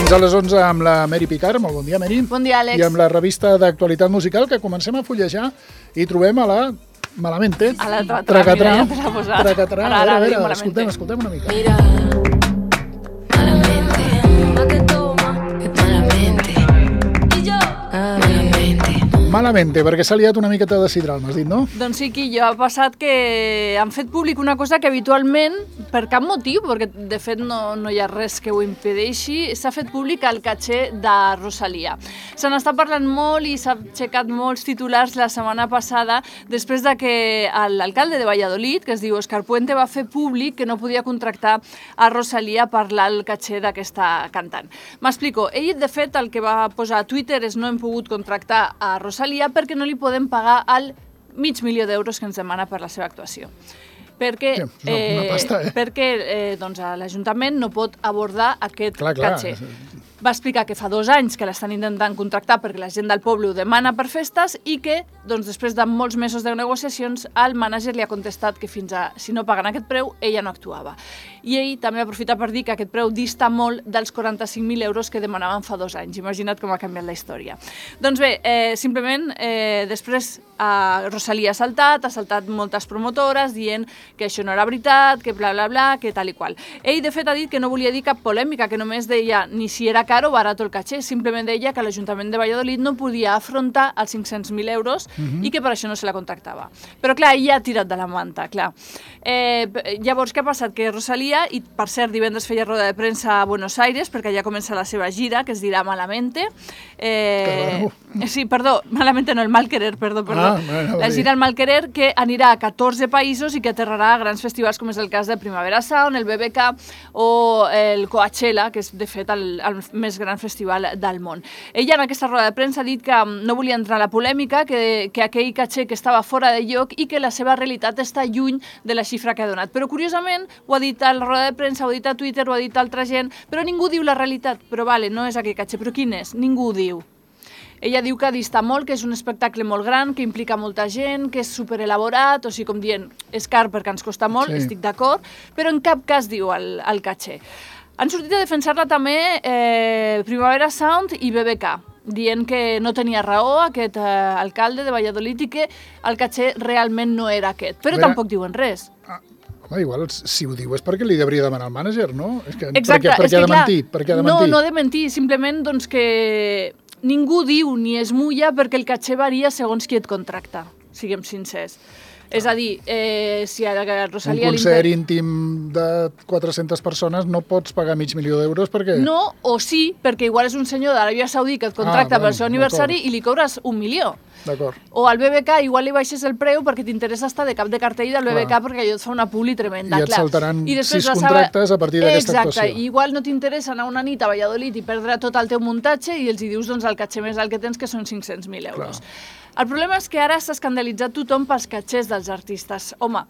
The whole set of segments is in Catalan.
Fins a les 11 amb la Mary Picard. Molt bon dia, Mary. Bon dia, Àlex. I amb la revista d'actualitat musical que comencem a fullejar i trobem a la Malamente. A la Tracatrà. mira, ja te l'ha posat. Tracatrà. A veure, escoltem una mica. Mira, malamente, pa' que toma, malamente, y yo, malamente. Malamente, perquè s'ha liat una miqueta de sidral, m'has dit, no? Doncs sí, Quillo, ha passat que han fet públic una cosa que habitualment, per cap motiu, perquè de fet no hi ha res que ho impedeixi, s'ha fet públic el caché de Rosalía. Se n'està parlant molt i s'ha aixecat molts titulars la setmana passada després de que l'alcalde de Valladolid, que es diu Òscar Puente, va fer públic que no podia contractar a Rosalía per el caché d'aquesta cantant. M'explico. Ell, de fet, el que va posar a Twitter és no hem pogut contractar a Rosalía perquè no li podem pagar el $500.000 que ens demana per la seva actuació. Perquè, una pasta, perquè doncs, l'Ajuntament no pot abordar aquest caché. Va explicar que fa 2 anys que l'estan intentant contractar perquè la gent del poble ho demana per festes i que, doncs, després de molts mesos de negociacions, el mànager li ha contestat que fins a, si no paguen aquest preu, ella no actuava. I ell també aprofita per dir que aquest preu dista molt dels €45.000 que demanaven fa 2 anys. Imagina't com ha canviat la història. Doncs bé, simplement, després Rosalía ha saltat moltes promotores dient que això no era veritat, que bla, bla, bla, que tal i qual. Ell, de fet, ha dit que no volia dir cap polèmica, que només deia ni si era car o barat el caché, simplement deia que l'Ajuntament de Valladolid no podia afrontar els €500.000 i que per això no se la contractava. Però, clar, ell ja ha tirat de la manta, clar. Llavors, què ha passat? Que Rosalía, i per cert, divendres feia roda de premsa a Buenos Aires, perquè ja comença la seva gira, que es dirà Malamente. Sí, perdó, Malamente no, el Mal Querer, perdó. La gira El Mal Querer, que anirà a 14 països i que aterrarà a grans festivals, com és el cas de Primavera Sound, el BBK o el Coachella, que és, de fet, el més gran festival del món. Ella en aquesta roda de premsa ha dit que no volia entrar a la polèmica, que aquell caché que estava fora de lloc i que la seva realitat està lluny de la xifra que ha donat. Però curiosament ho ha dit a la roda de premsa, ho ha dit a Twitter, ho ha dit a altra gent, però ningú diu la realitat. Però vale, no és aquell caché, però quin és? Ningú ho diu. Ella diu que dista molt, que és un espectacle molt gran, que implica molta gent, que és superelaborat, o sigui, com dient, és car perquè ens costa molt, estic d'acord, però en cap cas diu el caché. Han sortit a defensar-la també Primavera Sound i BBK, dient que no tenia raó aquest alcalde de Valladolid i que el caché realment no era aquest, però tampoc diuen res. Home, igual, si ho diu és perquè li hauria de demanar al mànager, no? Exacte, perquè ha de mentir. No ha de mentir, simplement doncs que ningú diu ni es mulla perquè el caché varia segons qui et contracta, siguem sincers. És a dir, si a Rosalía... Un concert íntim de 400 persones no pots pagar $500.000 perquè... No, o sí, perquè igual és un senyor d'Aràbia Saudí que et contracta pel seu aniversari i li cobres $1 milió. D'acord. O al BBK igual li baixes el preu perquè t'interessa estar de cap de cartell del BBK perquè allò et fa una publi tremenda. I et saltaran 6 contractes a partir d'aquesta actuació. Exacte, igual no t'interessa anar una nit a Valladolid i perdre tot el teu muntatge i els hi dius doncs el caché més alt que tens, que són €500.000. El problema és que ara s'ha escandalitzat tothom pels catxers dels artistes. Home,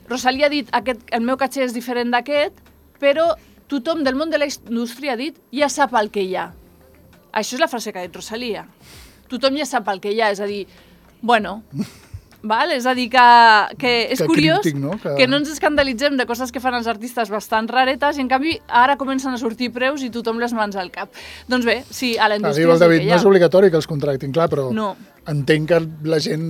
Rosalía ha dit el meu caché és diferent d'aquest, però tothom del món de la indústria ha dit ja sap el que hi ha. Això és la frase que ha dit Rosalía. Tothom ja sap el que hi ha, és a dir, bueno... Val? És a dir, que és curiós que no ens escandalitzem de coses que fan els artistes bastant raretes i, en canvi, ara comencen a sortir preus i tothom les mans al cap. Doncs bé, sí, a la indústria... Diu el David, no és obligatori que els contractin, clar, però entenc que la gent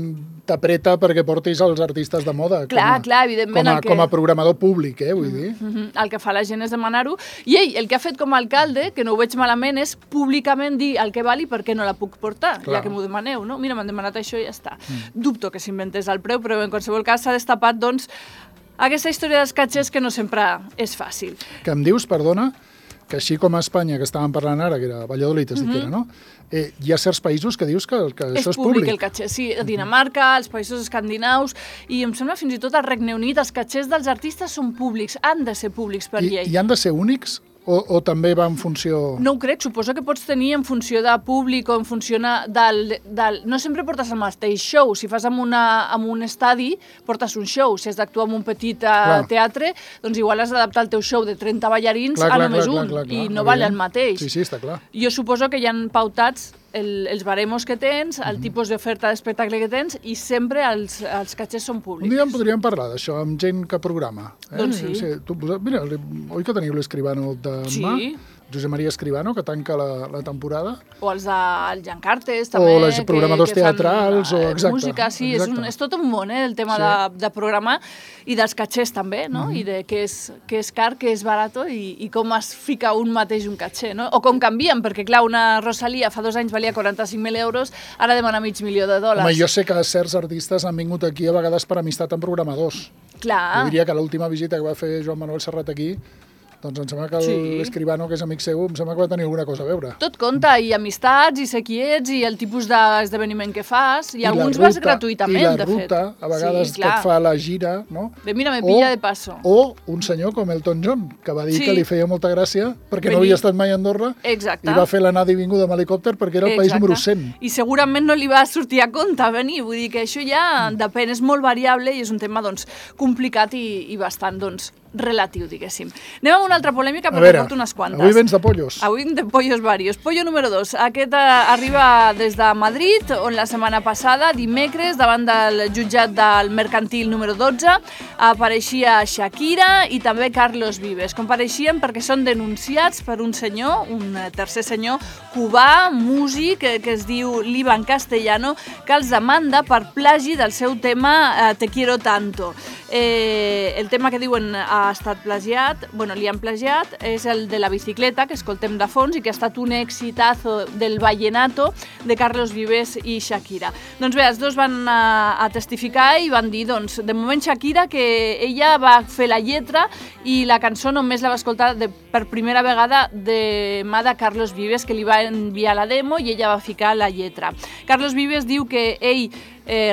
t'apreta perquè portis els artistes de moda. Clar, evidentment. Com a programador públic, vull dir. El que fa la gent és demanar-ho. I ell, el que ha fet com a alcalde, que no ho veig malament, és públicament dir el que val i per què no la puc portar, ja que m'ho demaneu, no? Mira, m'han demanat això i ja està. Dubto que s'inventés el preu, però en qualsevol cas s'ha destapat, doncs, aquesta història dels catxers que no sempre és fàcil. Que em dius, perdona, que així com a Espanya, que estàvem parlant ara, que era Valladolid, es dit que era, no? Hi ha certs països que dius que això és públic. El caché, sí, a Dinamarca, els països escandinaus, i em sembla fins i tot al Regne Unit, els catxers dels artistes són públics, han de ser públics per llei. I han de ser únics? O també va en funció... No ho crec, suposo que pots tenir en funció de públic o en funció del... No sempre portes el mateix show. Si fas en un estadi, portes un show. Si has d'actuar en un petit teatre, doncs igual has d'adaptar el teu show de 30 ballarins a només un. I no val el mateix. Sí, està clar. Jo suposo que hi ha pautats els baremos que tens, el tipus d'oferta d'espectacle que tens i sempre els catxers són públics. Un dia en podríem parlar d'això amb gent que programa. Doncs sí. Mira, oi que teniu l'Escribano demà? Sí. Josep Maria Escribano, que tanca la temporada. O els del Jan Cartes, també. O els programadors teatrals. Música, sí, és tot un món, el tema de programar, i dels catxers també, no? I de què és car, què és barato, i com es fica un mateix un catxer, no? O com canvien, perquè clar, una Rosalía fa 2 anys valia 45.000 euros, ara demana $500.000. Home, jo sé que certs artistes han vingut aquí a vegades per amistat amb programadors. Clar. Jo diria que l'última visita que va fer Joan Manuel Serrat aquí, doncs em sembla que l'Escribano, que és amic seu, em sembla que va tenir alguna cosa a veure. Tot compta, i amistats, i ser qui ets, i el tipus d'esdeveniment que fas, i alguns vas gratuïtament, de fet. I la ruta, a vegades que et fa la gira, no? De mira, me pilla de paso. O un senyor com Elton John, que va dir que li feia molta gràcia, perquè no havia estat mai a Andorra, i va fer l'anada i vinguda amb helicòpter perquè era el país número 100. I segurament no li va sortir a compte venir, vull dir que això ja depèn, és molt variable, i és un tema, doncs, complicat i bastant, doncs, relatiu, diguéssim. Anem amb una altra polèmica, perquè porto unes quantes. Avui vens de pollos. Avui de pollos varios. Pollo número 2. Aquest arriba des de Madrid, on la setmana passada, dimecres, davant del jutjat del mercantil número 12, apareixia Shakira i també Carlos Vives. Compareixien perquè són denunciats per un senyor, un tercer senyor cubà, músic, que es diu Liban Castellano, que els demanda per plagi del seu tema Te quiero tanto. El tema que diuen ha estat plagiat, li han plagiat, és el de la bicicleta, que escoltem de fons i que ha estat un exitazo del vallenato de Carlos Vives i Shakira. Doncs bé, els dos van a testificar i van dir, doncs, de moment Shakira, que ella va fer la lletra i la cançó només la va escoltar per primera vegada de mà de Carlos Vives, que li va enviar la demo i ella va ficar la lletra. Carlos Vives diu que ell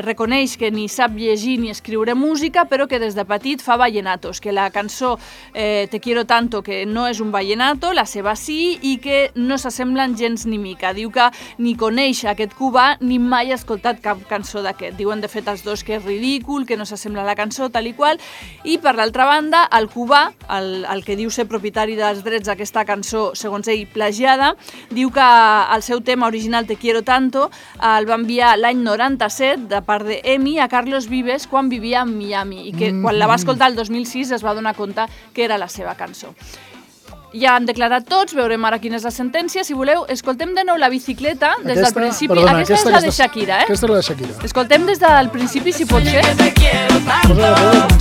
reconeix que ni sap llegir ni escriure música, però que des de petit fa vallenatos, que la cançó Te quiero tanto, que no és un vallenato, la seva sí, i que no s'assemblen gens ni mica. Diu que ni coneix aquest cubà ni mai ha escoltat cap cançó d'aquest. Diuen, de fet, els dos que és ridícul, que no s'assembla a la cançó, tal i qual. I, per l'altra banda, el cubà, el que diu ser propietari dels drets d'aquesta cançó, segons ell, plagiada, diu que el seu tema original Te quiero tanto el va enviar l'any 97 de part d'Emi a Carlos Vives quan vivia a Miami i que quan la va escoltar el 2006 es va donar compte que era la seva cançó. Ja han declarat tots, veurem ara quina és la sentència. Si voleu, escoltem de nou la bicicleta des del principi. Aquesta és la de Shakira, Aquesta és la de Shakira. Escoltem des del principi, si pot ser.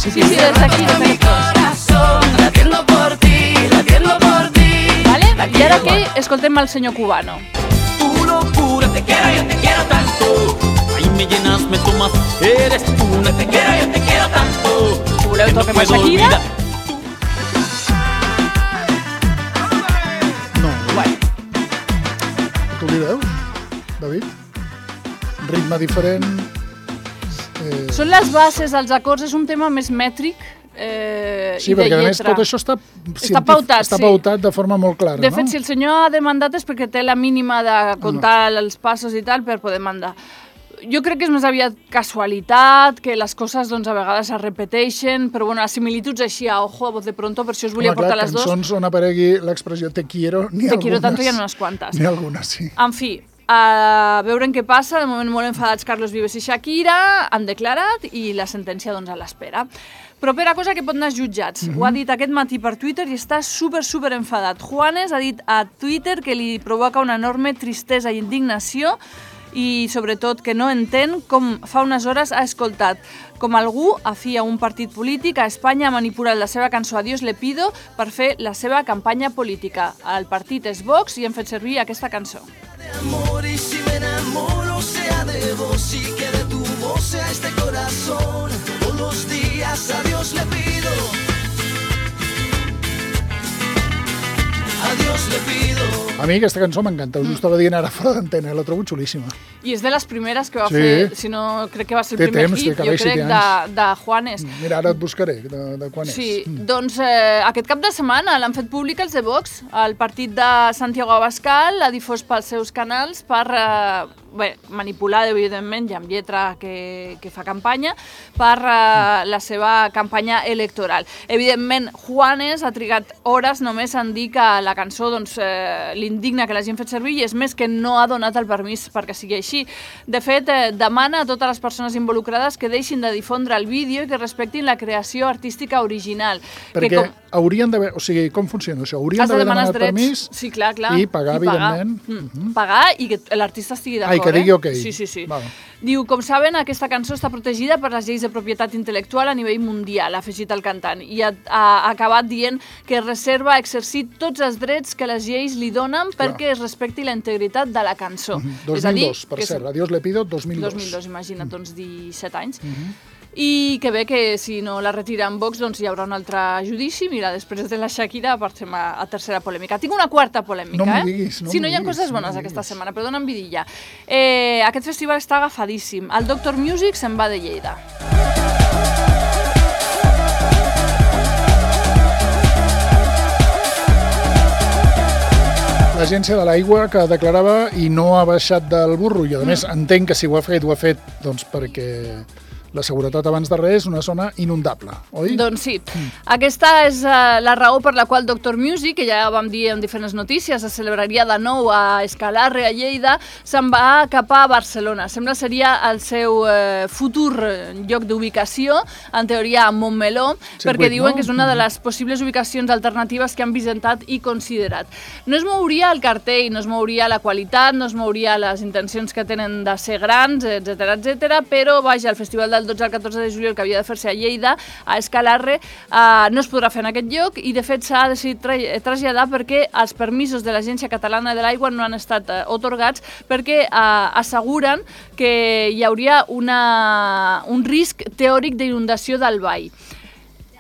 Sí, des d'aquí. I ara que escoltem el senyor cubano. Tu locura, te quiero, yo te quiero tanto. Ay, me llenas, me tomas, eres tú. No te quiero, yo te quiero tanto. Si voleu, toquem a Shakira. Tu li veus, David? Ritme diferent. Són les bases, els acords, és un tema més mètric sí, perquè a més tot això està pautat de forma molt clara. De fet, si el senyor ha demandat és perquè té la mínima de comptar els passos i tal per poder mandar. Jo crec que és més aviat casualitat, que les coses doncs, a vegades es repeteixen, però bueno, les similituds així a ojo, a voz de pronto, per això us volia portar les dues. Cançons on aparegui l'expressió te quiero, n'hi ha algunes. Te quiero tanto hi ha unes quantes. N'hi ha algunes, sí. En fi, a veure què passa. De moment molt enfadats Carlos Vives i Shakira, han declarat i la sentència doncs, a l'espera. Propera cosa que pot anar als jutjats. Ho ha dit aquest matí per Twitter i està super enfadat. Juanes ha dit a Twitter que li provoca una enorme tristesa i indignació i sobretot que no entén com fa unes hores ha escoltat com algú afí a un partit polític a Espanya ha manipulat la seva cançó Adiós le pido per fer la seva campanya política. El partit és Vox i han fet servir aquesta cançó. Amor, y si me enamoro sea de vos y que de tu voz sea este corazón. Todos los días a Dios le pido. A Dios le pido. A mi aquesta cançó m'encanta, us ho estava dient ara fora d'antena, la trobo xulíssima. I és de les primeres que va fer, si no crec que va ser el primer hit, jo crec, de Juanes. Mira, ara et buscaré de quan és. Sí, doncs aquest cap de setmana l'han fet públic els de Vox. El partit de Santiago Abascal l'ha difós pels seus canals per manipular, evidentment, i amb lletra que fa campanya, per la seva campanya electoral. Evidentment, Juanes ha trigat hores només en dir que la cançó l'indigna que l'hagin fet servir i és més que no ha donat el permís perquè sigui així. De fet, demana a totes les persones involucrades que deixin de difondre el vídeo i que respectin la creació artística original. Perquè haurien d'haver... O sigui, com funciona això? Haurien d'haver demanat permís i pagar, evidentment. Pagar i que l'artista estigui d'acord. I que digui ok. Sí. Diu, com saben, aquesta cançó està protegida per les lleis de propietat intel·lectual a nivell mundial, ha afegit el cantant, i ha acabat dient que reserva exercir tots els drets que les lleis li donen perquè es respecti la integritat de la cançó. 2002, per cert, Adiós le pido, 2002. 2002, imagina't, doncs 17 anys. I que bé que si no la retira en Vox doncs hi haurà un altre judici. Mira, després de la Shakira passem a tercera polèmica. Tinc una quarta polèmica, No m'ho diguis, Si no hi ha coses bones aquesta setmana, però dona'm vidilla. Aquest festival està agafadíssim. El Doctor Music se'n va de Lleida. L'Agència de l'Aigua que declarava i no ha baixat del burro, i a més entenc que si ho ha fet doncs perquè la seguretat abans de res és una zona inundable, oi? Doncs sí. Aquesta és la raó per la qual Doctor Music, que ja vam dir en diferents notícies, es celebraria de nou a Escalarre, a Lleida, se'n va cap a Barcelona. Sembla seria el seu futur lloc d'ubicació, en teoria a Montmeló, perquè diuen que és una de les possibles ubicacions alternatives que han visitat i considerat. No es mouria el cartell, no es mouria la qualitat, no es mouria les intencions que tenen de ser grans, etc, però vaja, el festival del 12 al 14 de juliol que havia de fer-se a Lleida, a Escalarre, no es podrà fer en aquest lloc i de fet s'ha decidit traslladar perquè els permisos de l'Agència Catalana de l'Aigua no han estat atorgats perquè asseguren que hi hauria un risc teòric d'inundació del vall.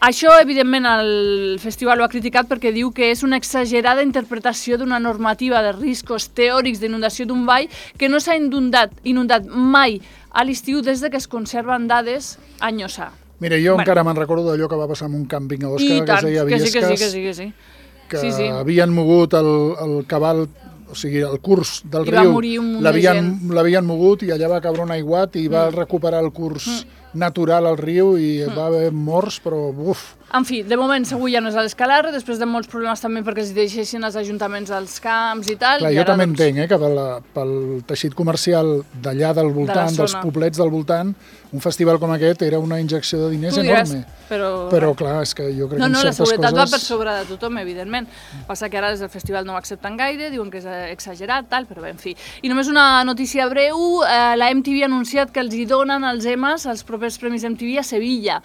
Això, evidentment, el festival ho ha criticat perquè diu que és una exagerada interpretació d'una normativa de riscos teòrics d'inundació d'un vall que no s'ha inundat mai a l'estiu des que es conserven dades a Nyossà. Mira, jo encara me'n recordo d'allò que va passar en un càmping a Òscar, que es deia Viescas, que havien mogut el cabal, o sigui, el curs del riu, l'havien mogut i allà va caure un aiguat i va recuperar el curs natural al riu i va haver morts, però uf. En fi, de moment segur ja no és a l'Escalarre, després de molts problemes també perquè els deixessin els ajuntaments als camps i tal. Clar, jo també entenc que pel teixit comercial d'allà del voltant, dels poblets del voltant, un festival com aquest era una injecció de diners enorme. Però clar, és que jo crec que en certes coses... la seguretat va per sobre de tothom, evidentment. Passa que ara des del festival no ho accepten gaire, diuen que és exagerat, tal, però bé, en fi. I només una notícia breu, la MTV ha anunciat que els hi donen els EMAs, els propers Premis MTV a Sevilla.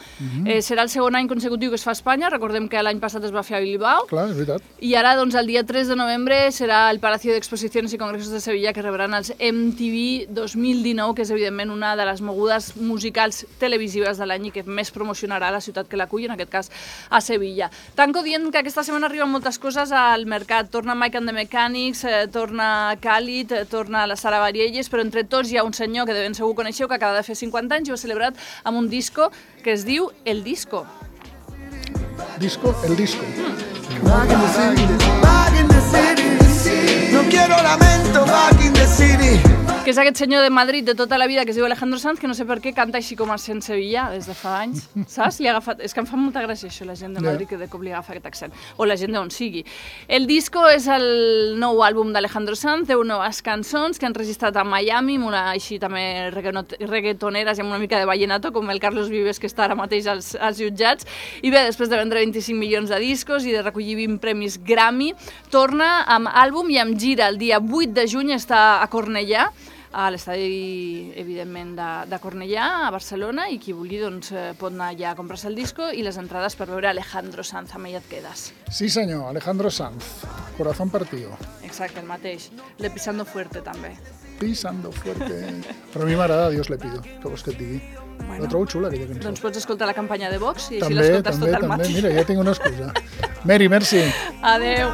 Serà el segon any consecutiu que es fa a Espanya, recordem que l'any passat es va fer a Bilbao. Clar, és veritat. I ara, doncs, el dia 3 de novembre serà el Palacio de Exposiciones i Congressos de Sevilla que rebran els MTV 2019, que és, evidentment, una de les mogudes musicals televisives de l'any i que més promocionarà la ciutat que l'acull, en aquest cas a Sevilla. Tanco dient que aquesta setmana arriben moltes coses al mercat. Torna Mike and the Mechanics, torna Khalid, torna la Sara Bareilles, però entre tots hi ha un senyor que de ben segur coneixeu que acaba de fer 50 anys i ho ha celebrat amb un disco que es diu El Disco. El Disco. Back in the city. No quiero lamento, back in the city. Que és aquest senyor de Madrid de tota la vida que es diu Alejandro Sanz, que no sé per què canta així com a accent sevillà des de fa anys, saps? És que em fa molta gràcia això, la gent de Madrid, que de cop li agafa aquest accent, o la gent d'on sigui. El Disco és el nou àlbum d'Alejandro Sanz, 10 noves cançons que han registrat a Miami, amb una així també reggaetoneres i amb una mica de vallenato, com el Carlos Vives, que està ara mateix als jutjats. I bé, després de vendre 25 milions de discos i de recollir 20 premis Grammy, torna amb àlbum i amb gira. El dia 8 de juny està a Cornellà, a l'estadi, evidentment, de Cornellà, a Barcelona, i qui vulgui doncs, pot anar allà a comprar-se el disco i les entrades per veure Alejandro Sanz, amb ella et quedes. Sí senyor, Alejandro Sanz, corazón partido. Exacte, el mateix. Le pisando fuerte, també. Pisando fuerte. Però a mi m'agrada Dios le pido, que vols que et digui. Bueno, la trobo xula, aquella cançó. Doncs pots escoltar la campanya de Vox i també, així l'escoltes tot el matí. Mira, ja tinc una excusa. Mary, merci. Adeu.